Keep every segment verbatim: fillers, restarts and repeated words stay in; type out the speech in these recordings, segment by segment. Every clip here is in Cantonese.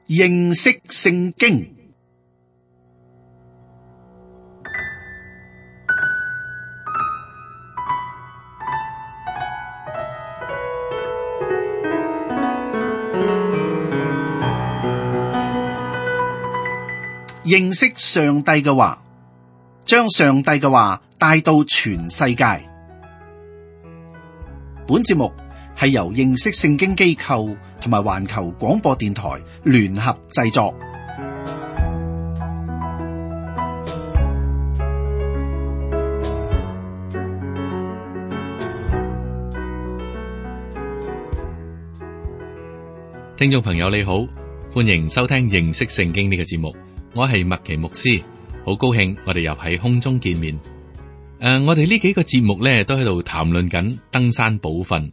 認識聖經。認識上帝嘅話，將上帝嘅話帶到全世界。本節目係由認識聖經機構同埋環球廣播電台聯合製作。聽眾朋友你好，歡迎收聽認識聖經呢個節目。我係麥奇牧師，好高興我哋又喺空中見面。誒、呃，我哋呢幾個節目咧都喺度談論緊登山寶訓。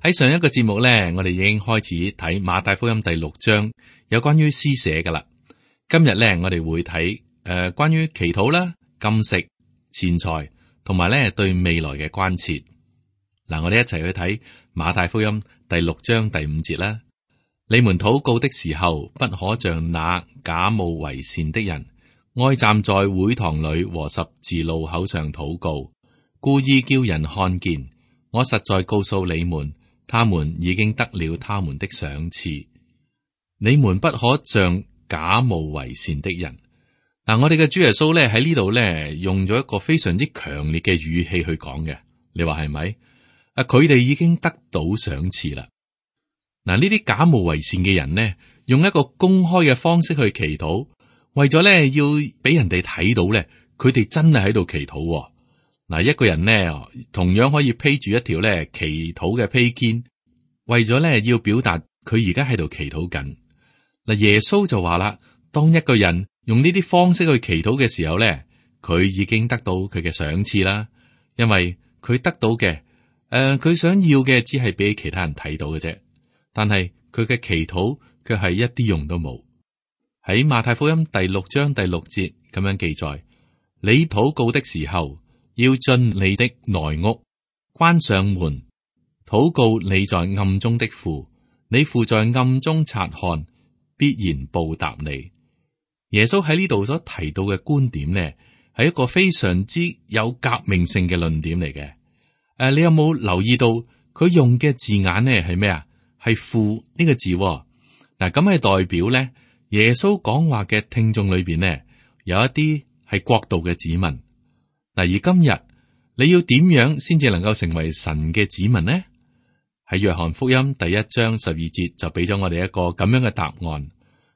喺上一個節目咧，我哋已經開始睇馬太福音第六章，有關於施捨噶啦。今日咧，我哋會睇誒、呃、關於祈禱啦、禁食、錢財，同埋咧對未來嘅關切。嗱，我哋一齊去睇馬太福音第六章第五節啦。你們禱告的時候，不可像那假冒為善的人，愛站在會堂裏和十字路口上禱告，故意叫人看見。我實在告訴你們，他們已經得了他們的賞賜。你們不可像假冒為善的人。嗱，我哋嘅主耶穌咧喺呢度咧用咗一個非常之強烈嘅語氣去講嘅，你話係咪？啊，佢哋已經得到賞賜啦。嗱，呢啲假冒為善嘅人呢，用一個公開嘅方式去祈禱，為咗咧要俾人哋睇到咧，佢哋真係喺度祈禱。嗱，一個人呢，同樣可以披住一條咧祈禱嘅披肩，為咗咧要表達佢而家喺度祈禱緊。嗱，耶穌就話啦，當一個人用呢啲方式去祈禱嘅時候咧，佢已經得到佢嘅賞賜啦，因為佢得到嘅，誒、呃，佢想要嘅只係俾其他人睇到嘅啫。但係佢嘅祈禱卻係一啲用都冇。喺馬太福音第六章第六節咁樣記載：你禱告的時候，要進你的內屋，關上門，禱告你在暗中的父，你父在暗中察看，必然報答你。耶穌喺呢度所提到嘅觀點呢，係一個非常之有革命性嘅論點嚟嘅。誒、啊，你有冇留意到佢用嘅字眼呢？係咩啊？係父呢個字，嗱，咁係代表咧，耶穌講話嘅聽眾裏邊呢，有一啲係國度嘅子民。嗱，而今日你要點樣先至能夠成為神嘅子民呢？喺約翰福音第一章十二節就俾咗我哋一個咁樣嘅答案：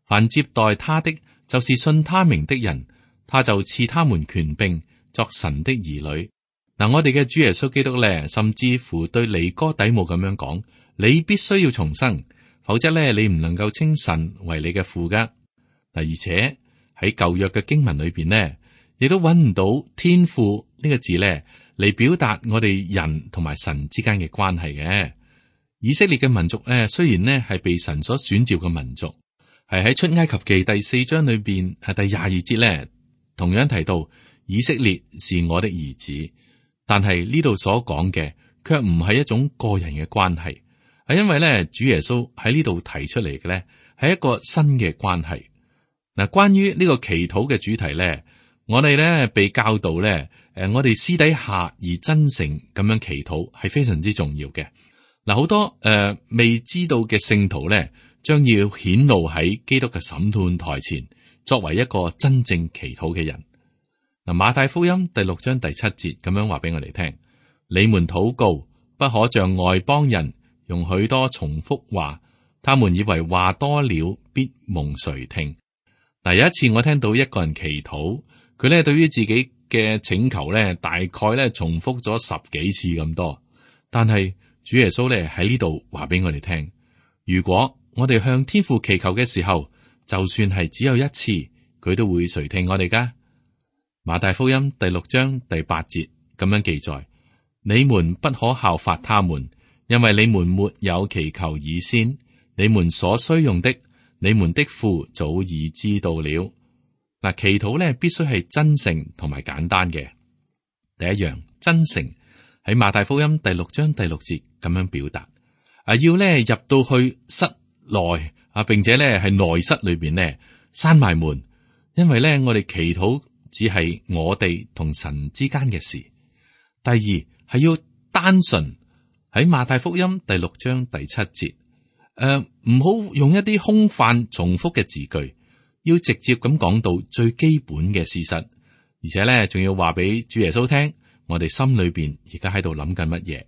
凡接待他的，就是信他名的人，他就賜他們權柄作神的兒女。嗱，我哋嘅主耶穌基督咧，甚至乎對尼哥底母咁樣講。你必須要重生，否則咧你唔能夠稱神為你嘅父噶。但而且喺舊約嘅經文裏邊呢，亦都揾唔到天父呢個字咧嚟表達我哋人同埋神之間嘅關係嘅。以色列嘅民族咧，雖然呢係被神所選召嘅民族，係喺出埃及記第四章裏邊係第廿二節咧，同樣提到以色列是我的兒子，但係呢度所講嘅卻唔係一種個人嘅關係。係因為咧，主耶穌喺呢度提出嚟嘅咧，係一個新嘅關係。嗱，關於呢個祈禱嘅主題咧，我哋咧被教導咧，誒，我哋私底下而真誠咁樣祈禱係非常之重要嘅。嗱，好多誒、呃、未知道嘅聖徒咧，將要顯露喺基督嘅審判台前，作為一個真正祈禱嘅人。嗱，馬太福音第六章第七節咁樣話俾我哋聽：你們禱告，不可像外邦人，用許多重複話，他們以為話多了必蒙垂聽。嗱，有一次我聽到一個人祈禱，佢咧對於自己嘅請求咧，大概咧重複咗十幾次咁多。但係主耶穌咧喺呢度話俾我哋聽，如果我哋向天父祈求嘅時候，就算係只有一次，佢都會垂聽我哋噶。馬太福音第六章第八節咁樣記載：你們不可效法他們。因為你們沒有祈求以先，你們所需用的，你們的父早已知道了。嗱，祈禱咧必須係真誠同埋簡單嘅。第一樣，真誠喺馬太福音第六章第六節咁樣表達，啊，要咧入到去室內啊，並且咧係內室裏邊咧閂埋門，因為咧我哋祈禱只係我哋同神之間嘅事。第二係要單純，喺馬太福音第六章第七節，誒唔好用一啲空泛重複嘅字句，要直接咁講到最基本嘅事實，而且咧仲要話俾主耶穌聽，我哋心裏邊而家喺度諗緊乜嘢。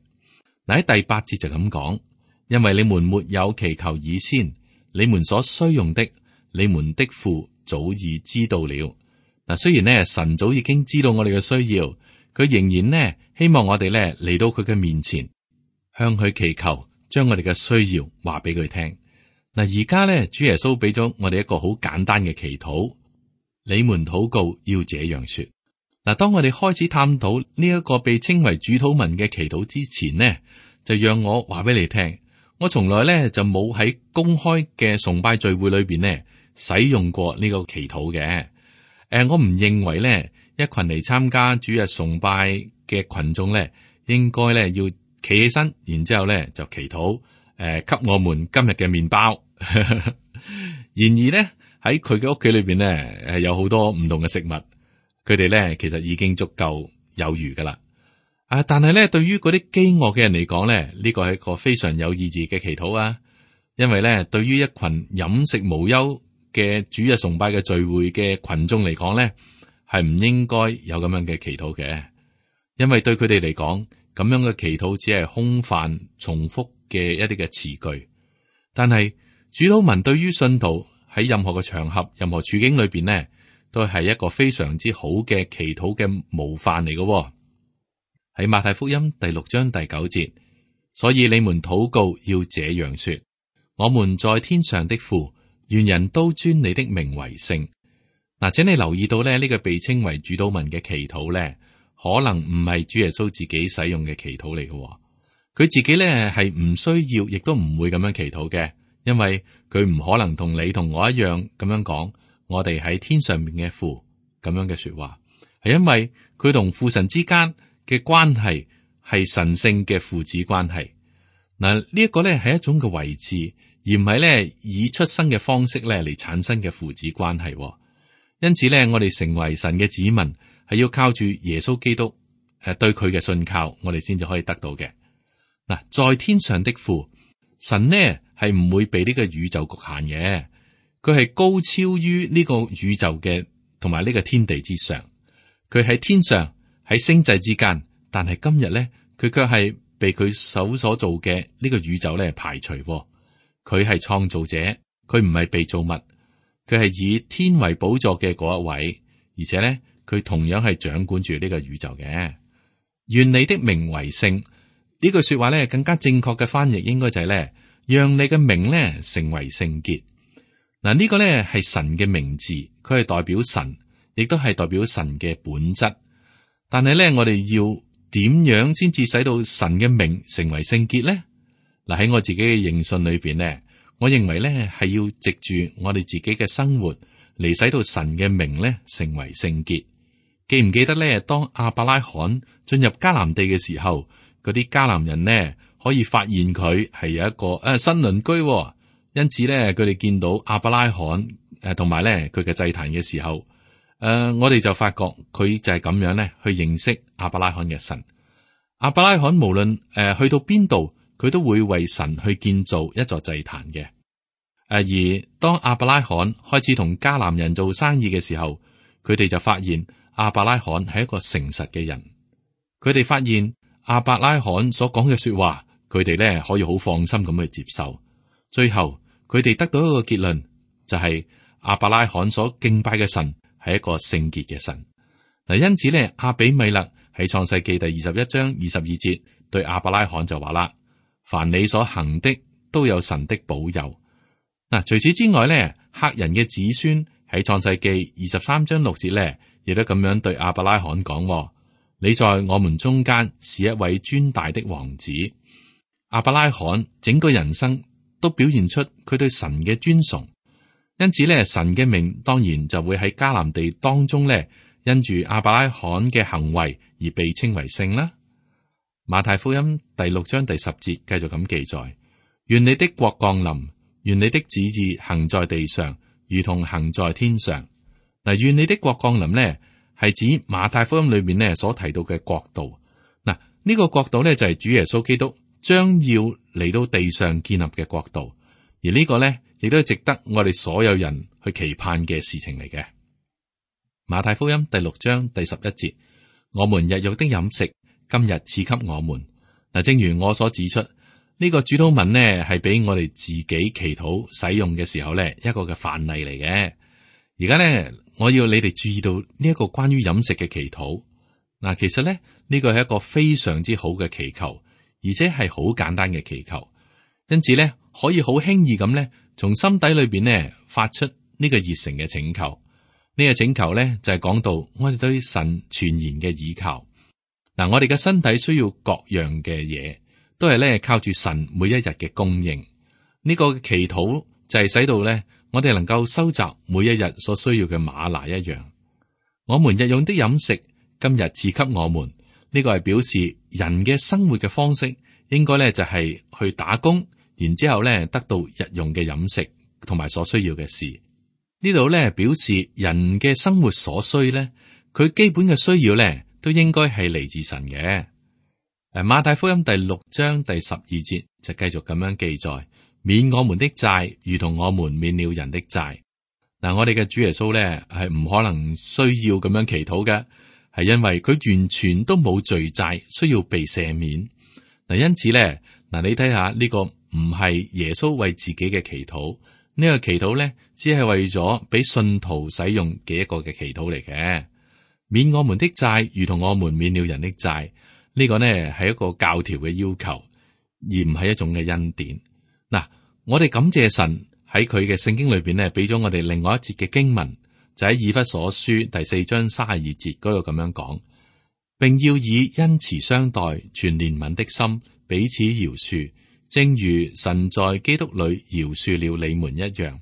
嗱，喺第八節就咁講，因為你們沒有祈求以先，你們所需用的，你們的父早已知道了。嗱，雖然呢神早已經知道我哋嘅需要，佢仍然呢希望我哋咧嚟到佢嘅面前，向佢祈求，將我哋嘅需要話俾佢聽。嗱，而家咧主耶穌俾咗我哋一個好簡單嘅祈禱，你們禱告要這樣說。嗱，當我哋開始探討呢一個被稱為主禱文嘅祈禱之前呢，就讓我話俾你聽，我從來咧就冇喺公開嘅崇拜聚會裏邊呢使用過呢個祈禱嘅。誒，我唔認為咧一群嚟參加主日崇拜嘅群眾咧，應該咧要企起身，然之後咧就祈禱，誒、呃，給我們今日嘅麵包。然而咧喺佢嘅屋企裏邊咧，誒有好多唔同嘅食物，佢哋咧其實已經足夠有餘噶啦。啊，但係咧對於嗰啲飢餓嘅人嚟講咧，呢個係一個非常有意義嘅祈禱啊，因為咧對於一群飲食無憂嘅主日崇拜嘅聚會嘅群眾嚟講咧，係唔應該有咁樣嘅祈禱嘅，因為對佢哋嚟講，咁樣嘅祈禱只係空泛重複嘅一啲嘅詞句。但係主禱文對於信徒喺任何嘅場合、任何處境裏邊呢，都係一個非常之好嘅祈禱嘅模範嚟嘅。喺馬太福音第六章第九節，所以你們禱告要這樣說：我們在天上的父，願人都尊你的名為聖。嗱，請你留意到咧，呢個被稱為主禱文嘅祈禱咧，可能唔係主耶穌自己使用嘅祈禱嚟嘅。佢自己咧係唔需要，亦都唔會咁樣祈禱嘅，因為佢唔可能同你同我一樣咁樣講，我哋喺天上面嘅父咁樣嘅說話，係因為佢同父神之間嘅關係係神聖嘅父子關係。嗱，呢一個咧係一種嘅位置，而唔係咧以出生嘅方式咧嚟產生嘅父子關係。因此咧，我哋成為神嘅子民，係要靠住耶穌基督誒對佢嘅信靠，我哋先至可以得到嘅。嗱，在天上的父，神呢係唔會被呢個宇宙局限嘅，佢係高超於呢個宇宙嘅同埋呢個天地之上。佢喺天上喺星際之間，但係今日咧，佢卻係被佢手所做嘅呢個宇宙咧排除。佢係創造者，佢唔係被造物。佢係以天為寶座嘅嗰一位，而且咧，佢同樣係掌管住呢個宇宙嘅。願你的名為聖，呢句說話咧，更加正確嘅翻譯應該就係咧，讓你嘅名咧成為聖潔。嗱，呢個咧係神嘅名字，佢係代表神，亦都係代表神嘅本質。但係咧，我哋要點樣先至使到神嘅名成為聖潔咧？嗱，喺我自己嘅認信裏邊咧。我認為咧係要藉住我哋自己嘅生活嚟使到神嘅名咧成為聖潔。記唔記得咧？當亞伯拉罕進入迦南地嘅時候，嗰啲迦南人呢可以發現佢係有一個誒、啊、新鄰居、哦，因此咧佢哋見到亞伯拉罕誒同埋咧佢嘅祭壇嘅時候，誒、呃、我哋就發覺佢就係咁樣咧去認識亞伯拉罕嘅神。亞伯拉罕無論誒、呃、去到邊度，佢都會為神去建造一座祭壇嘅。誒，而當亞伯拉罕開始同迦南人做生意嘅時候，佢哋就發現亞伯拉罕係一個誠實嘅人。佢哋發現亞伯拉罕所講嘅說話，佢哋咧可以好放心咁去接受。最後，佢哋得到一個結論，就係、是、亞伯拉罕所敬拜嘅神係一個聖潔嘅神。嗱，因此咧，亞比米勒喺創世記第二十一章二十二節對亞伯拉罕就話啦：凡你所行的，都有神的保佑。嗱，除此之外咧，赫人嘅子孫喺創世記二十三章六節咧，亦都咁樣對亞伯拉罕講：你在我們中間是一位尊大的王子。亞伯拉罕整個人生都表現出佢對神嘅尊崇，因此咧，神嘅名當然就會喺迦南地當中咧，因住亞伯拉罕嘅行為而被稱為聖啦。馬太福音第六章第十節繼續咁記載：願你的國降臨。願你的旨意行在地上，如同行在天上。嗱，願你的國降臨呢，係指馬太福音裏面呢所提到嘅國度。嗱，呢個國度呢，就係主耶穌基督將要嚟到地上建立嘅國度，而呢個呢，亦都係值得我哋所有人去期盼嘅事情嚟嘅。馬太福音第六章第十一節，我們日用的飲食，今日賜給我們。嗱，正如我所指出，呢、這個主禱文呢係俾我哋自己祈禱使用嘅時候呢一個嘅範例嚟嘅。而家呢，我要你哋注意到呢一個關於飲食嘅祈禱。嗱，其實呢，呢、這個係一個非常之好嘅祈求，而且係好簡單嘅祈求，因此呢，可以好輕易咁呢，從心底裏邊呢發出呢個熱誠嘅請求。呢個請求咧就係講到我哋對神全然嘅倚靠。嗱，我哋嘅身體需要各樣嘅嘢，都係咧靠住神每一日嘅供應。呢個祈禱就係使到咧我哋能夠收集每一日所需要嘅嗎哪一樣。我們日用的飲食，今日賜給我們。呢個係表示人嘅生活嘅方式，應該咧就係去打工，然之後咧得到日用嘅飲食同埋所需要嘅事。呢度咧表示人嘅生活所需咧，佢基本嘅需要咧都應該係嚟自神嘅。誒，馬太福音第六章第十二節就繼續咁樣記載：免我們的債，如同我們免了人的債。嗱，我哋嘅主耶穌咧係唔可能需要咁樣祈禱嘅，係因為佢完全都冇罪債需要被赦免。嗱，因此咧，嗱你睇下呢個唔係耶穌為自己嘅祈禱。呢個祈禱咧，只係為咗俾信徒使用嘅一個嘅祈禱嚟嘅。免我們的債，如同我們免了人的債。呢個呢係一個教條嘅要求，而唔係一種嘅恩典。嗱，我哋感謝神喺佢嘅聖經裏邊呢，俾咗我哋另外一節嘅經文，就喺以弗所書第四章三十二節嗰度咁樣講，並要以恩慈相待，存憐憫的心，彼此饒恕。正如神在基督裏饒恕了你們一樣。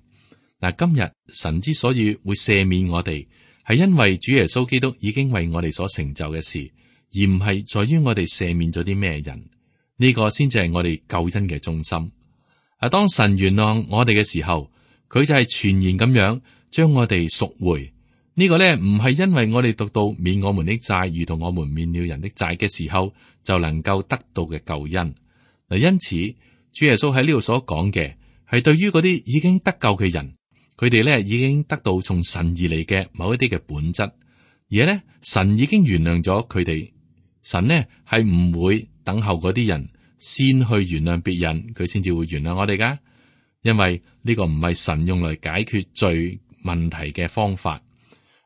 嗱，今日神之所以會赦免我哋，係因為主耶穌基督已經為我哋所成就嘅事，而唔係在於我哋赦免咗啲咩人。呢個先至係我哋救恩嘅中心。啊，當神原諒我哋嘅時候，佢就係全然咁樣將我哋贖回。呢個咧唔係因為我哋讀到免我們的債，如同我們免了人的債嘅時候就能夠得到嘅救恩。因此，主耶穌喺呢度所講嘅係對於嗰啲已經得救嘅人，佢哋咧已經得到從神而嚟嘅某一啲嘅本質，而咧神已經原諒咗佢哋。神呢係唔會等候嗰啲人先去原諒別人，佢先至會原諒我哋噶。因為呢個唔係神用嚟解決罪問題嘅方法。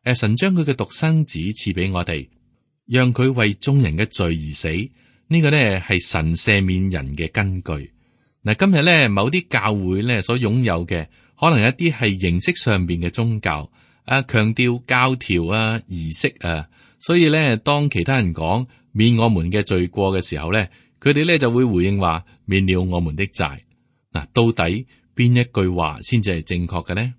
誒，神將佢嘅獨生子賜俾我哋，讓佢為眾人嘅罪而死。呢個咧係神赦免人嘅根據。嗱，今日咧某啲教會咧所擁有嘅，可能一啲係形式上邊嘅宗教，啊，強調教條啊、儀式啊，所以咧當其他人講免我們嘅罪過嘅時候咧，佢哋咧就會回應話免了我們的債。嗱，到底邊一句話先至係正確嘅呢？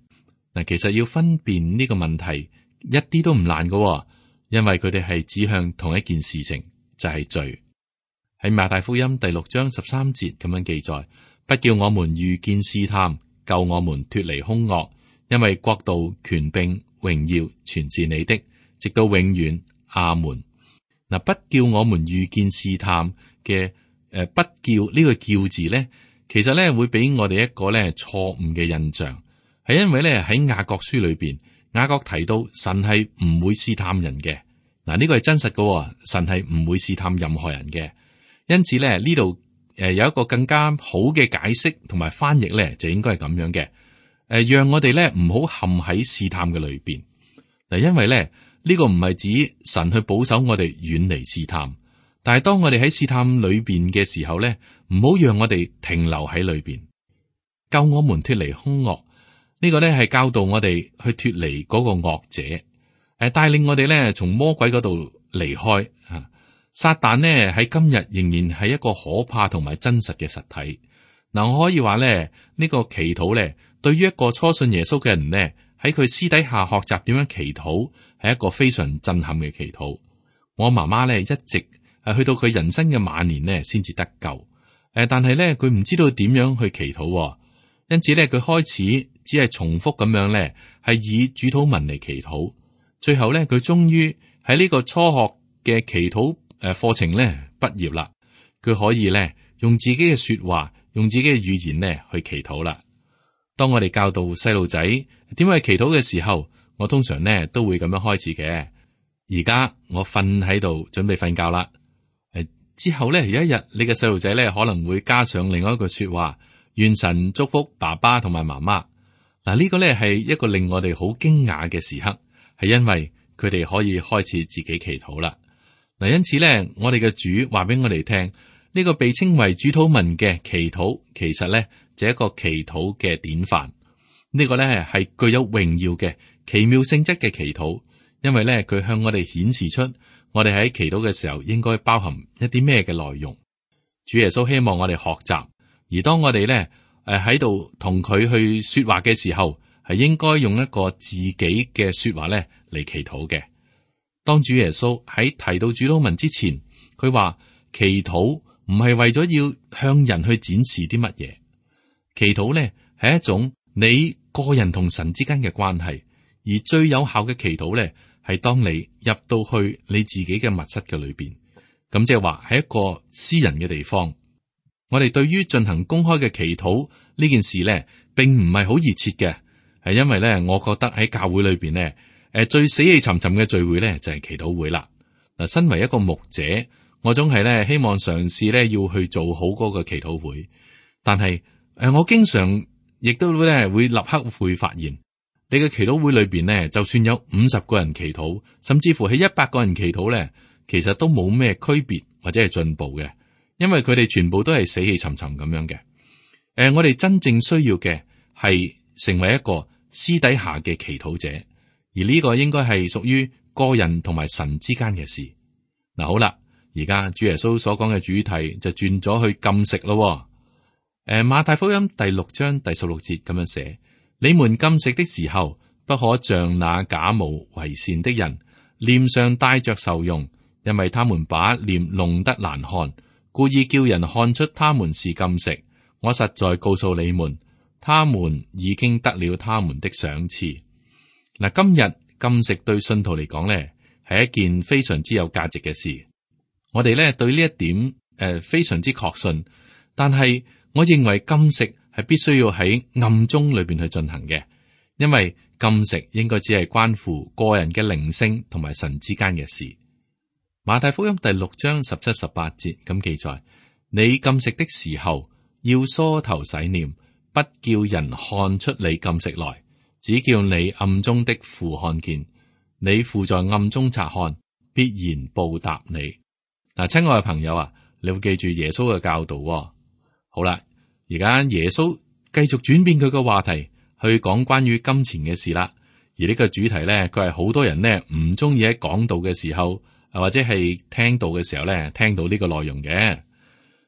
嗱，其實要分辨呢個問題一啲都唔難㗎，因為佢哋係指向同一件事情，就係罪。喺馬太福音第六章十三節咁樣記載，不叫我們遇見試探，救我們脫離兇惡，因為國度、權柄、榮耀全是你的，直到永遠。阿門。嗱，不叫我們遇見試探嘅誒，不叫呢個叫字咧，其實咧會俾我哋一個咧錯誤嘅印象，係因為咧喺雅各書裏邊，雅各提到神係唔會試探人嘅。嗱，呢個係真實嘅，神係唔會試探任何人嘅。因此咧，呢度誒有一個更加好嘅解釋同埋翻譯咧，就應該係咁樣嘅。誒，讓我哋咧唔好陷喺試探嘅裏邊。嗱，因為咧呢個唔係指神去保守我哋遠離試探，但係當我哋喺試探裏邊嘅時候咧，唔好讓我哋停留喺裏邊。救我們脫離兇惡，呢個咧係教導我哋去脫離嗰個惡者，誒，帶領我哋咧從魔鬼嗰度離開吓。撒旦呢喺今日仍然係一個可怕同埋真實嘅實體。嗱，我可以話咧，呢個祈禱咧，對於一個初信耶穌嘅人呢，喺佢私底下學習點樣祈禱，係一個非常震撼嘅祈禱。我媽媽咧一直係去到佢人生嘅晚年呢先至得救。誒，但係咧佢唔知道點樣去祈禱，因此咧，佢開始只係重複咁樣咧，係以主禱文嚟祈禱。最後咧，佢終於喺呢個初學嘅祈禱誒課程咧畢業啦。佢可以咧用自己嘅說話，用自己嘅語言咧去祈禱啦。當我哋教導細路仔點樣去祈禱嘅時候，我通常咧都會咁樣開始嘅。而家我瞓喺度準備瞓覺啦。誒，之後咧有一日，你嘅細路仔咧可能會加上另外一句說話：願神祝福爸爸同埋媽媽。嗱，呢個咧係一個令我哋好驚訝嘅時刻，係因為佢哋可以開始自己祈禱啦。嗱，因此咧，我哋嘅主話俾我哋聽，呢個被稱為主禱文嘅祈禱，其實咧就係一個祈禱嘅典範。呢個咧係具有榮耀嘅奇妙性質嘅祈禱，因為咧佢向我哋顯示出我哋喺祈禱嘅時候應該包含一啲咩嘅內容。主耶穌希望我哋學習，而當我哋咧誒喺度同佢去說話嘅時候，係應該用一個自己嘅說話咧嚟祈禱嘅。當主耶穌喺提到主禱文之前，佢話祈禱唔係為咗要向人去展示啲乜嘢，祈禱咧係一種你個人同神之間嘅關係，而最有效嘅祈禱咧係當你入到去你自己嘅密室嘅裏邊，咁即係話係一個私人嘅地方。我哋對於進行公開嘅祈禱呢件事咧，並唔係好熱切嘅，係因為咧，我覺得喺教會裏邊咧。誒，最死氣沉沉嘅聚會咧就係祈禱會啦。嗱，身為一個牧者，我總係咧希望嘗試咧要去做好嗰個祈禱會，但係誒，我經常亦都咧會立刻會發現，你嘅祈禱會裏邊咧，就算有五十個人祈禱，甚至乎係一百個人祈禱咧，其實都冇咩區別或者係進步嘅，因為佢哋全部都係死氣沉沉咁樣嘅。誒，我哋真正需要嘅係成為一個私底下嘅祈禱者。而呢個應該係屬於個人同埋神之間嘅事。嗱，好啦，而家主耶穌所講嘅主題就轉咗去禁食咯。誒，馬太福音第六章第十六節咁樣寫：你們禁食的時候，不可像那假冒為善的人，臉上帶着愁容，因為他們把臉弄得難看，故意叫人看出他們是禁食。我實在告訴你們，他們已經得了他們的賞賜。嗱，今日禁食對信徒嚟講咧，係一件非常之有價值嘅事。我哋咧對呢一點誒、呃、非常之確信，但係我認為禁食係必須要喺暗中裏邊去進行嘅，因為禁食應該只係關乎個人嘅靈性同埋神之間嘅事。馬太福音第六章十七、十八節咁記載：你禁食的時候，要梳頭洗臉，不叫人看出你禁食來。只叫你暗中的父看見，你父在暗中察看，必然報答你。嗱，親愛嘅朋友啊，你會記住耶穌嘅教導喎。好啦，而家耶穌繼續轉變佢嘅話題，去講關於金錢嘅事啦。而呢個主題咧，佢係好多人咧唔中意喺講道嘅時候，或者係聽到嘅時候咧，聽到呢個內容嘅。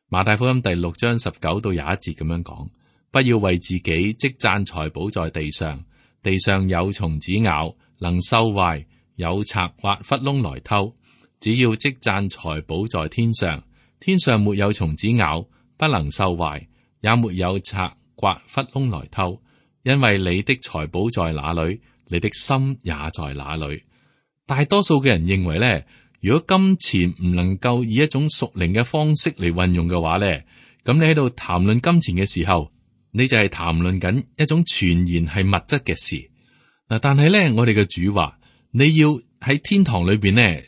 馬太福音第六章十九到廿一節咁樣講：不要為自己積攢財寶在地上。地上有蟲子咬，能收壞；有賊挖窟窿來偷。只要積攢財寶在天上，天上沒有蟲子咬，不能收壞，也沒有賊挖窟窿來偷。因為你的財寶在哪裏，你的心也在哪裏。大多數嘅人認為咧，如果金錢唔能夠以一種屬靈嘅方式嚟運用嘅話咧，咁你喺度談論金錢嘅時候，你就係談論緊一種全然係物質嘅事嗱，但係咧，我哋嘅主話你要喺天堂裏邊咧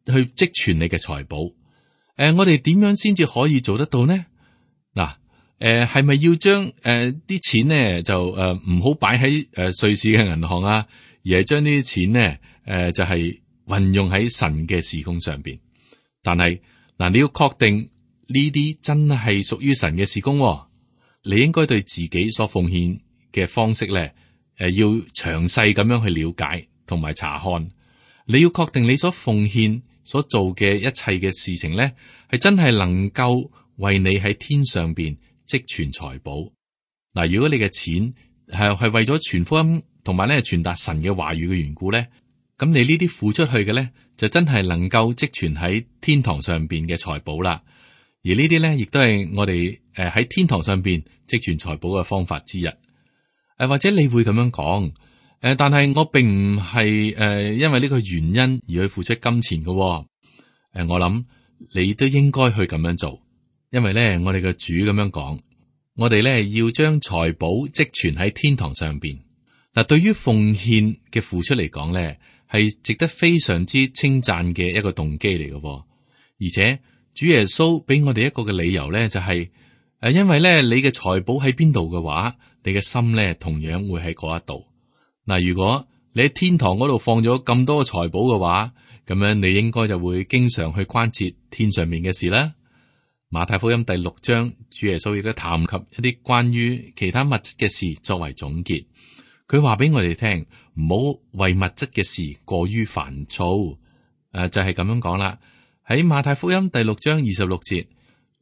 去積存你嘅財寶。誒、呃，我哋點樣先至可以做得到呢？嗱，誒係咪要將誒啲錢咧就誒唔好擺喺誒瑞士嘅銀行啊，而係將呢啲錢咧誒、呃、就係、是、運用喺神嘅事工上邊？但係嗱、呃，你要確定呢啲真係屬於神嘅事工、哦。你應該對自己所奉獻嘅方式咧，誒，要詳細咁樣去了解同埋查看。你要確定你所奉獻所做嘅一切嘅事情咧，係真係能夠為你喺天上邊積存財寶。嗱，如果你嘅錢係係為咗傳福音同埋咧傳達神嘅話語嘅緣故咧，咁你呢啲付出去嘅咧，就真係能夠積存喺天堂上邊嘅財寶啦。而呢啲咧，亦都係我哋誒喺天堂上邊積存財寶嘅方法之一。誒，或者你會咁樣講，誒，但係我並唔係誒因為呢個原因而去付出金錢嘅。誒，我諗你都應該去咁樣做，因為咧我哋嘅主咁樣講，我哋咧要將財寶積存喺天堂上邊。嗱，對於奉獻嘅付出嚟講咧，係值得非常之稱讚嘅一個動機嚟嘅。而且主耶穌俾我哋一個嘅理由咧，就係、是、誒，因為咧你嘅財寶喺邊度嘅話，你嘅心咧同樣會喺嗰一度。嗱，如果你喺天堂嗰度放咗咁多財寶嘅話，咁樣你應該就會經常去關切天上面嘅事啦。馬太福音第六章，主耶穌亦都談及一啲關於其他物質嘅事作為總結。佢話俾我哋聽，唔好為物質嘅事過於煩躁。誒、呃，就係、是、咁樣講啦。喺馬太福音第六章二十六節，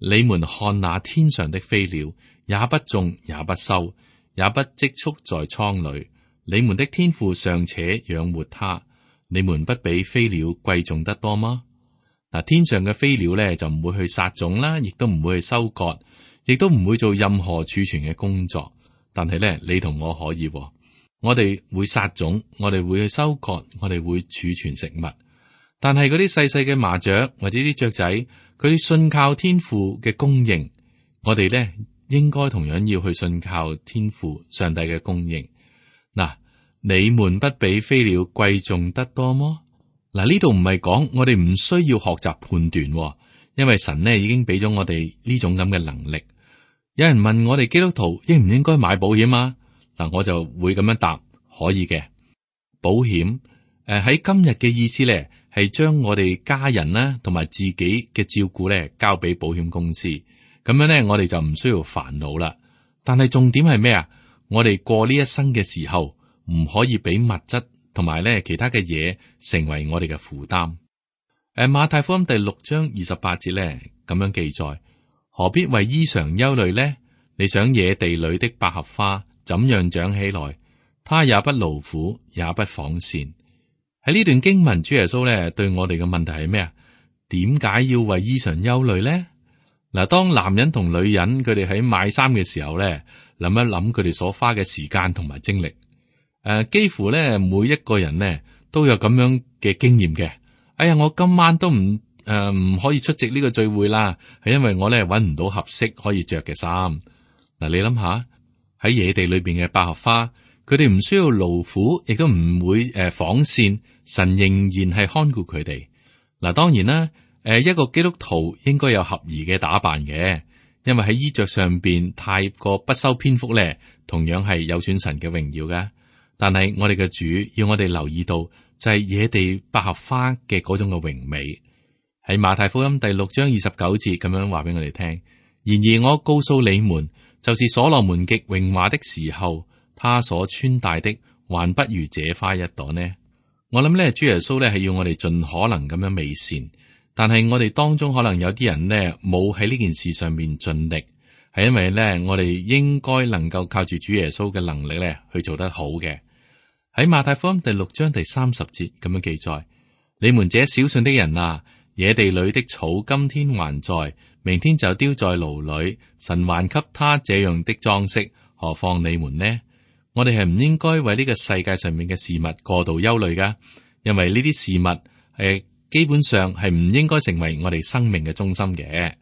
你們看那天上的飛鳥，也不種也不收，也不積蓄在倉裏，你們的天父尚且養活它，你們不比飛鳥貴重得多嗎？嗱，天上嘅飛鳥咧就唔會去撒種啦，亦都唔會去收割，亦都唔會做任何儲存嘅工作。但係咧，你同我可以，我哋會撒種，我哋會去收割，我哋會儲存食物。但係嗰啲細細嘅麻雀或者啲雀仔，佢哋信靠天父嘅供應，我哋咧應該同樣要去信靠天父上帝嘅供應。嗱，你們不比飛鳥貴重得多麼？嗱，呢度唔係講我哋唔需要學習判斷，因為神呢已經俾咗我哋呢種咁嘅能力。有人問我哋基督徒應唔應該買保險啊？嗱，我就會咁樣答，可以嘅。保險誒喺今日嘅意思咧，係將我哋家人啦同埋自己嘅照顧咧交俾保險公司，咁樣咧我哋就唔需要煩惱啦。但係重點係咩啊？我哋過呢一生嘅時候，唔可以俾物質同埋咧其他嘅嘢成為我哋嘅負擔。誒，馬太福音第六章二十八節咧咁樣記載：何必為衣裳憂慮呢？你想野地裏的百合花怎樣長起來？它也不勞苦，也不紡線。喺呢段經文，主耶穌咧對我哋嘅問題係咩啊？點解要為衣裳憂慮咧？嗱，當男人同女人佢哋喺買衫嘅時候咧，諗一諗佢哋所花嘅時間同埋精力，誒、呃，幾乎咧每一個人咧都有咁樣嘅經驗嘅。哎呀，我今晚都唔誒唔可以出席呢個聚會啦，係因為我咧搵唔到合適可以着嘅衫。嗱，你諗下喺野地裏邊嘅百合花，佢哋唔需要勞苦，亦都唔會誒紡線，神仍然係看顧佢哋。嗱，當然啦，誒一個基督徒應該有合宜嘅打扮嘅，因為喺衣着上邊太過不修邊幅咧，同樣係有損神嘅榮耀噶。但係我哋嘅主要我哋留意到，就係野地百合花嘅嗰種嘅榮美。喺馬太福音第六章二十九節咁樣話俾我哋聽。然而我告訴你們，就是所羅門極榮華的時候，他所穿戴的還不如這花一朵呢。我諗咧，主耶穌咧係要我哋盡可能咁樣美善，但係我哋當中可能有啲人呢冇喺呢件事上面盡力，係因為咧我哋應該能夠靠住主耶穌嘅能力咧去做得好嘅。喺馬太福音第六章第三十節咁樣記載：你們這小信的人啊，野地裏的草今天還在，明天就丟在爐裏，神還給他這樣的裝飾，何況你們呢？我哋係唔應該為呢個世界上面嘅事物過度憂慮噶，因為呢啲事物係基本上係唔應該成為我哋生命嘅中心嘅。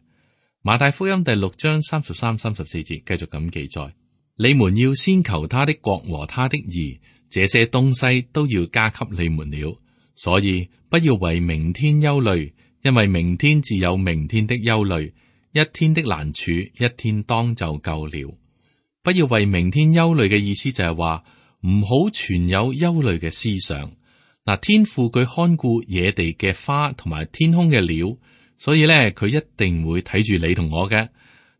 馬太福音第六章三十三、三十四節繼續咁記載：你們要先求他的國和他的義，這些東西都要加給你們了。所以不要為明天憂慮，因為明天自有明天的憂慮，一天的難處一天當就夠了。不要為明天憂慮嘅意思就係話唔好存有憂慮嘅思想。嗱，天父佢看顧野地嘅花同埋天空嘅鳥，所以咧佢一定會睇住你同我嘅。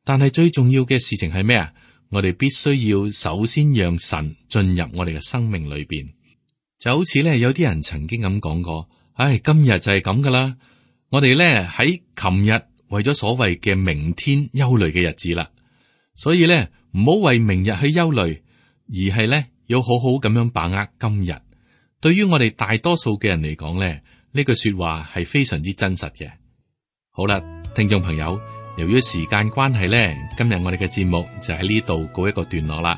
但係最重要嘅事情係咩啊？我哋必須要首先讓神進入我哋嘅生命裏邊。就好似咧有啲人曾經咁講過，唉，今日就係咁噶啦。我哋咧喺琴日為咗所謂嘅明天憂慮嘅日子啦，所以咧。唔好為明日去憂慮，而係咧要好好咁樣把握今日。對於我哋大多數嘅人嚟講咧，呢句說話係非常之真實嘅。好啦，聽眾朋友，由於時間關係咧，今日我哋嘅節目就喺呢度告一個段落啦。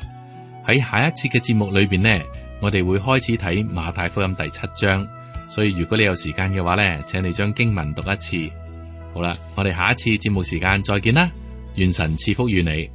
喺下一次嘅節目裏邊呢，我哋會開始睇馬太福音第七章，所以如果你有時間嘅話呢，請你將經文讀一次。好啦，我哋下一次節目時間再見啦，願神賜福於你。